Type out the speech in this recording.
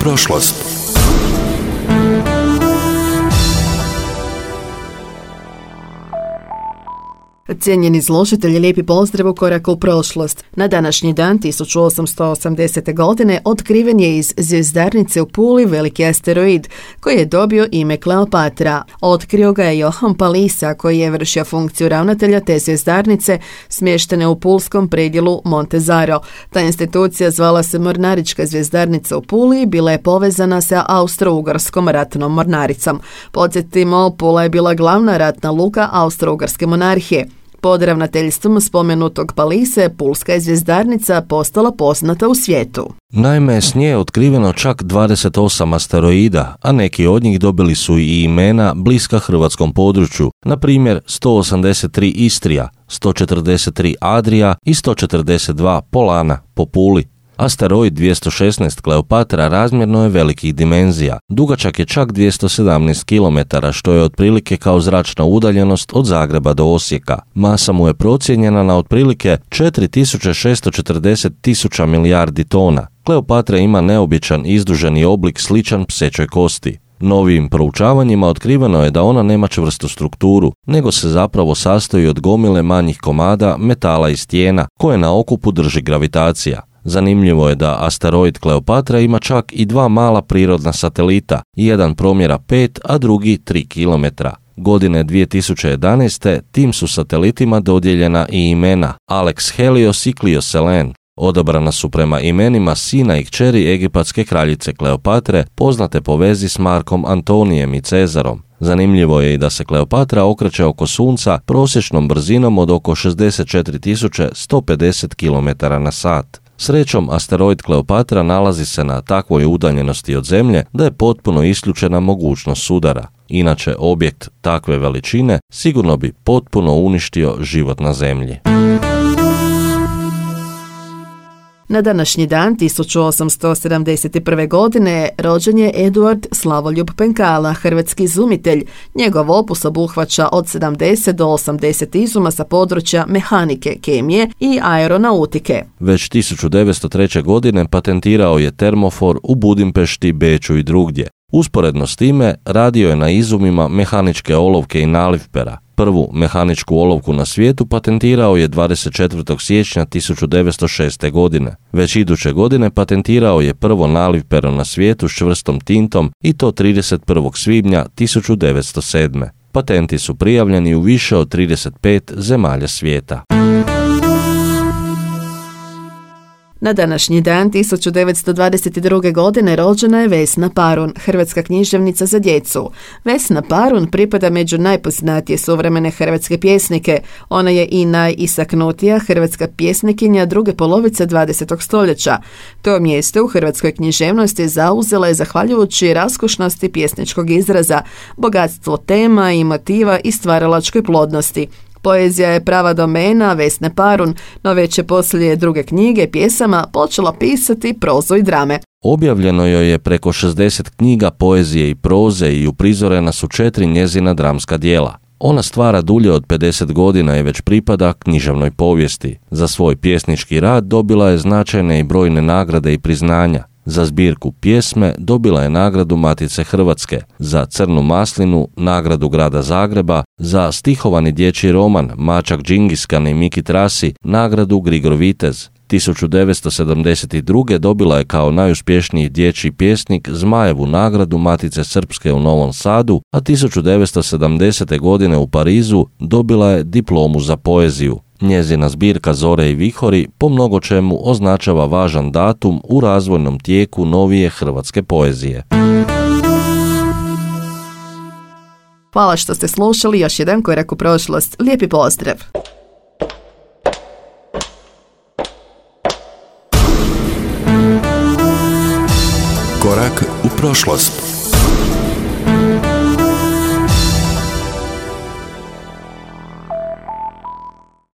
prošlost. Cijenjeni slušatelji, lijepi pozdrav u koraku u prošlost. Na današnji dan 1880. godine otkriven je iz zvjezdarnice u Puli veliki asteroid koji je dobio ime Kleopatra. Otkrio ga je Johann Palisa koji je vršio funkciju ravnatelja te zvjezdarnice smještene u pulskom predjelu Montezaro. Ta institucija zvala se Mornarička zvjezdarnica u Puli i bila je povezana sa Austro-Ugarskom ratnom mornaricom. Podsjetimo, Pula je bila glavna ratna luka Austro-Ugarske monarhije. Pod ravnateljstvom spomenutog Palise, pulska je zvjezdarnica postala poznata u svijetu. Naime, s nje je otkriveno čak 28 asteroida, a neki od njih dobili su i imena bliska hrvatskom području, na primjer 183 Istrija, 143 Adria i 142 Polana po Puli. Asteroid 216 Kleopatra razmjerno je velikih dimenzija. Dugačak je čak 217 km, što je otprilike kao zračna udaljenost od Zagreba do Osijeka. Masa mu je procijenjena na otprilike 4640.000 milijardi tona. Kleopatra ima neobičan izduženi oblik sličan psećoj kosti. Novijim proučavanjima otkriveno je da ona nema čvrstu strukturu, nego se zapravo sastoji od gomile manjih komada metala i stijena, koje na okupu drži gravitacija. Zanimljivo je da asteroid Kleopatra ima čak i dva mala prirodna satelita, jedan promjera 5, a drugi 3 km. Godine 2011. tim su satelitima dodijeljena i imena Alex Helios i Clio Selene. Odabrana su prema imenima sina i kćeri egipatske kraljice Kleopatre, poznate po vezi s Markom Antonijem i Cezarom. Zanimljivo je i da se Kleopatra okreće oko Sunca prosječnom brzinom od oko 64.150 km na sat. Srećom, asteroid Kleopatra nalazi se na takvoj udaljenosti od Zemlje da je potpuno isključena mogućnost sudara. Inače, objekt takve veličine sigurno bi potpuno uništio život na Zemlji. Na današnji dan 1871. godine rođen je Eduard Slavoljub Penkala, hrvatski izumitelj. Njegov opus obuhvaća od 70 do 80 izuma sa područja mehanike, kemije i aeronautike. Već 1903. godine patentirao je termofor u Budimpešti, Beču i drugdje. Usporedno s time radio je na izumima mehaničke olovke i nalivpera. Prvu mehaničku olovku na svijetu patentirao je 24. siječnja 1906. godine. Već iduće godine patentirao je prvo nalivpero na svijetu s čvrstom tintom i to 31. svibnja 1907. Patenti su prijavljeni u više od 35 zemalja svijeta. Na današnji dan 1922. godine rođena je Vesna Parun, hrvatska književnica za djecu. Vesna Parun pripada među najpoznatije suvremene hrvatske pjesnike. Ona je i najistaknutija hrvatska pjesnikinja druge polovice 20. stoljeća. To mjesto u hrvatskoj književnosti zauzela je zahvaljujući raskošnosti pjesničkog izraza, bogatstvo tema i motiva i stvaralačkoj plodnosti. Poezija je prava domena Vesne Parun, no već je poslije druge knjige pjesama počela pisati prozu i drame. Objavljeno joj je preko 60 knjiga poezije i proze i uprizorena su 4 njezina dramska djela. Ona stvara dulje od 50 godina i već pripada književnoj povijesti. Za svoj pjesnički rad dobila je značajne i brojne nagrade i priznanja. Za zbirku pjesme dobila je nagradu Matice Hrvatske, za Crnu maslinu nagradu Grada Zagreba, za stihovani dječji roman Mačak Džingiskan i Miki Trasi nagradu Grigor Vitez. 1972. dobila je kao najuspješniji dječji pjesnik Zmajevu nagradu Matice Srpske u Novom Sadu, a 1970. godine u Parizu dobila je diplomu za poeziju. Njezina zbirka Zore i vihori po mnogo čemu označava važan datum u razvojnom tijeku novije hrvatske poezije. Hvala što ste slušali još jedan korak u prošlost. Lijepi pozdrav! Korak u prošlost.